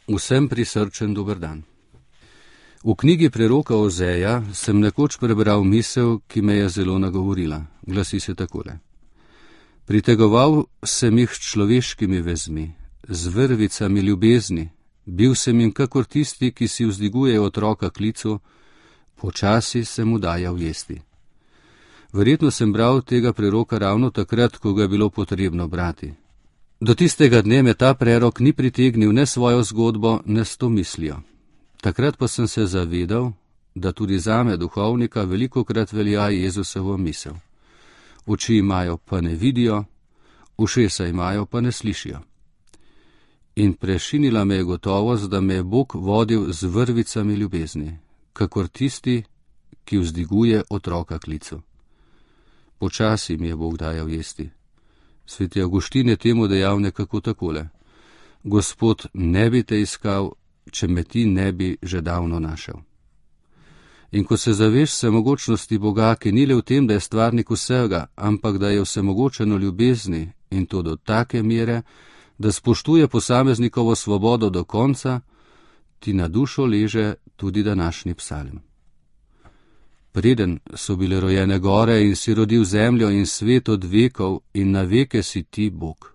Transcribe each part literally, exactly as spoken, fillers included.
Vsem prisrčen dober dan. V knjigi preroka Ozeja sem nekoč prebral misel, ki me je zelo nagovorila. Glasi se takole. Pritegoval sem jih s človeškimi vezmi, z vrvicami ljubezni, bil sem jim kakor tisti, ki si vzdiguje otroka klicu, počasi sem mu dajal jesti. Verjetno sem bral tega preroka ravno takrat, ko ga je bilo potrebno brati. Do tistega dne me ta prerok ni pritegnil ne svojo zgodbo, ne s to mislijo. Takrat pa sem se zavedal, da tudi zame duhovnika velikokrat velja Jezusovo misel. Oči imajo, pa ne vidijo, ušesa imajo, pa ne slišijo. In prešinila me je gotovost, da me je Bog vodil z vrvicami ljubezni, kakor tisti, ki vzdiguje otroka klicu. Počasi mi je Bog dajal jesti. Sveti Avguštin je temu dejal nekako takole. Gospod, ne bi te iskal, če me ti ne bi že davno našel. In ko se zaveš vsemogočnosti Boga, ki ni le v tem, da je stvarnik vsega, ampak da je vsemogočen v ljubezni in to do take mere, da spoštuje posameznikovo svobodo do konca, ti na dušo leže tudi današnji psalm. Preden so bile rojene gore in si rodil zemljo in svet od vekov in na veke si ti Bog.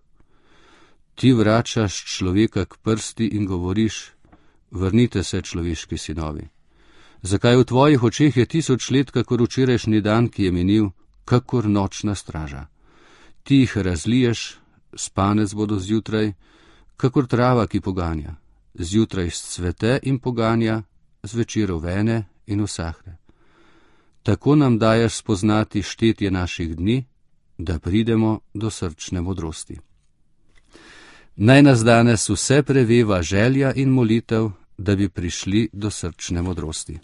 Ti vračaš človeka k prsti in govoriš, vrnite se, človeški sinovi. Zakaj v tvojih očeh je tisoč let, kakor včerajšnji dan, ki je minil, kakor nočna straža. Ti jih razliješ, spanec bodo zjutraj, kakor trava, ki poganja. Zjutraj scvete in poganja, zvečer vene in usahne. Tako nam daješ spoznati štetje naših dni, da pridemo do srčne modrosti. Naj nas danes vse preveva želja in molitev, da bi prišli do srčne modrosti.